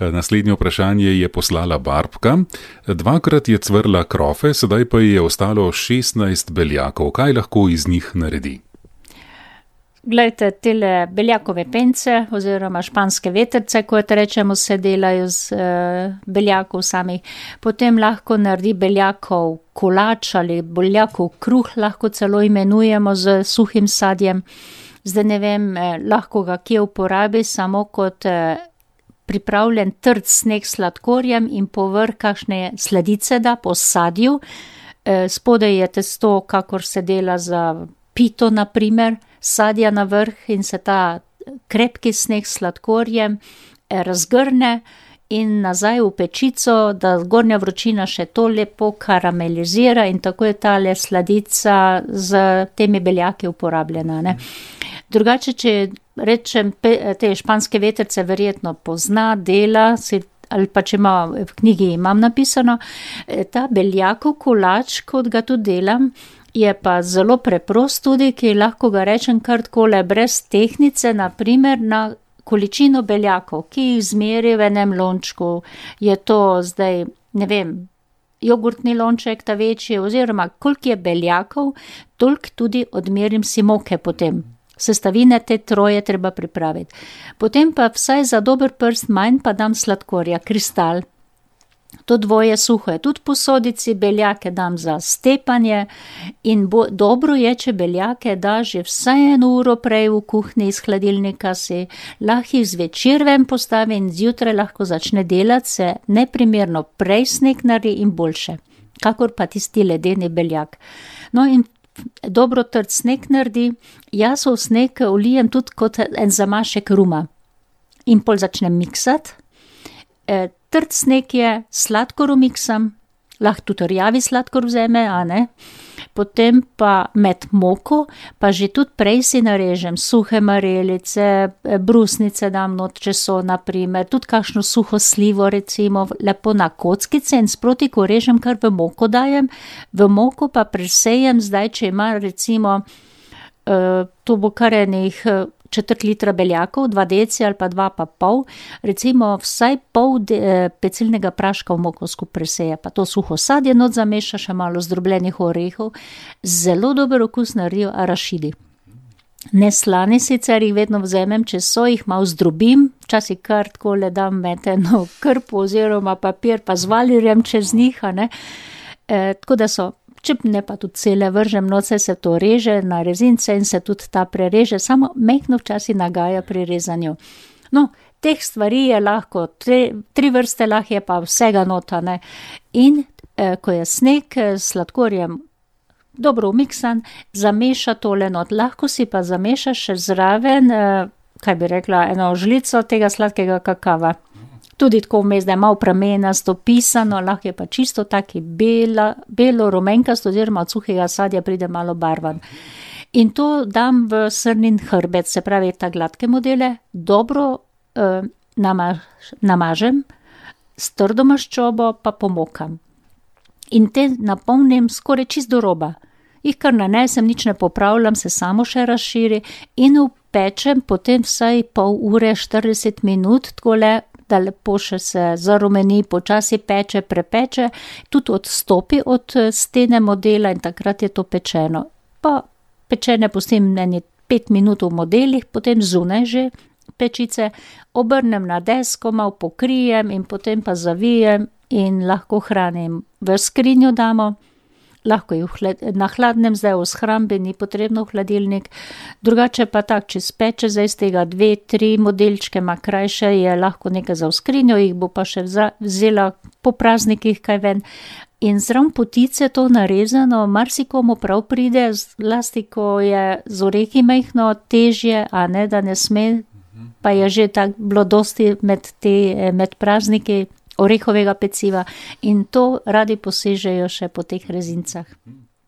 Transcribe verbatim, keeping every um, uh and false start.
Naslednje vprašanje je poslala Barbka. Dvakrat je cvrla krofe, sedaj pa ji je ostalo šestnajst beljakov. Kaj lahko iz njih naredi? Glejte, tele beljakove pence oziroma španske vetrce, kot rečemo, se delajo z uh, beljakov samih. Potem lahko naredi beljakov kolač ali beljakov kruh, lahko celo imenujemo z suhim sadjem. Zdaj ne vem, eh, lahko ga kje uporabi samo kot eh, pripravljen trd sneg s sladkorjem in povrh kakšne sladice da po sadju. Eh, spodaj je testo, kakor se dela za pito, na primer, sadja na vrh in se ta krepki sneg s sladkorjem eh, razgrne in nazaj v pečico, da zgornja vročina še to lepo karamelizira in tako je tale sladica z temi beljaki uporabljena, ne. Drugače, če rečem, te španske vetrce verjetno pozna, dela, si, ali pa če ima, v knjigi imam napisano, ta beljakov kolač, kot ga tudi delam, je pa zelo preprost tudi, ki lahko ga rečem kar takole brez tehnice, na primer na količino beljakov, ki jih zmeri v enem lončku. Je to zdaj, ne vem, jogurtni lonček, ta večji, oziroma koliko je beljakov, toliko tudi odmerim si moke potem. Sestavine te troje treba pripraviti. Potem pa vsaj za dober prst manj pa dam sladkorja, kristal. To dvoje suho je tudi posodici, beljake dam za stepanje in bo, dobro je, če beljake da že vsaj eno uro prej v kuhinji iz hladilnika, si lahko jih zvečer ven postavi in zjutraj lahko začne delati, se neprimerno prej sneg naredi in boljše, kakor pa tisti ledeni beljak. No in dobro trd sneg naredi, jaz v sneg ulijem tudi kot en zamašek ruma in pol začnem miksati. E, trd sneg je, sladkor umiksam, lahko tudi rjavi sladkor vzeme, a ne. Potem pa med moko, pa že tudi prej si narežem suhe marelice, brusnice dam not, če so, na primer, tudi kakšno suho slivo, recimo, lepo na kockice in sproti, ko režem, kar v moko dajem, v moko pa presejem zdaj, če ima, recimo, uh, to bo kar enih četrt litra beljakov, dva deci ali pa dva pa pol, recimo vsaj pol de, pecilnega praška v moko skupaj preseje, pa to suho sadje not zameša, še malo zdrobljenih orehov, zelo dober okus naredijo arašidi. Neslani sicer jih vedno vzamem, če so, jih malo zdrobim, včasih kar takole dam med eno krpo oziroma papir, pa z valirjem čez njih, a ne, e, tako da so. Če ne pa tudi cele vržem, noce se to reže na rezince in se tudi ta prereže, samo mehko včasih nagaja pri rezanju. No, teh stvari je lahko, tri, tri vrste lahko je pa vsega nota, ne. In eh, ko je sneg s sladkorjem dobro umiksan, zameša tole not. Lahko si pa zameša še zraven, eh, kaj bi rekla, eno žlico tega sladkega kakava. Tudi tako vmes, da je malo pramenasto pisano, lahko je pa čisto taki bela, belo rumenkasto, oziroma od suhega sadja pride malo barvan. In to dam v srnin hrbet, se pravi ta gladke modele, dobro eh, namaž, namažem, s trdo maščobo pa pomokam. In te napolnim skoraj čist do roba. Jih kar nanesem, nič ne popravljam, se samo še razširi in upečem potem vsaj pol ure, štirideset minut, takole, da lepo še se zarumeni, počasi peče, prepeče, tudi odstopi od stene modela in takrat je to pečeno. Pa pečene pustim eni pet minut v modelih, potem zunaj že pečice, obrnem na desko, malo pokrijem in potem pa zavijem in lahko hranim. V skrinjo damo, lahko jih na hladnem, zdaj v shrambi, ni potrebno v hladilnik. Drugače pa tak, če speče zdaj z tega dve, tri modelčke, ma krajše, je lahko nekaj za v skrinjo, jih bo pa še vzela po praznikih kaj ven. In zraven potice to narezano, marsikomu prav pride, zlasti ko je z orehi majhno težje, a ne, da ne sme, pa je že tak bilo dosti med, te, med prazniki orehovega peciva in to radi posežejo še po teh rezincah.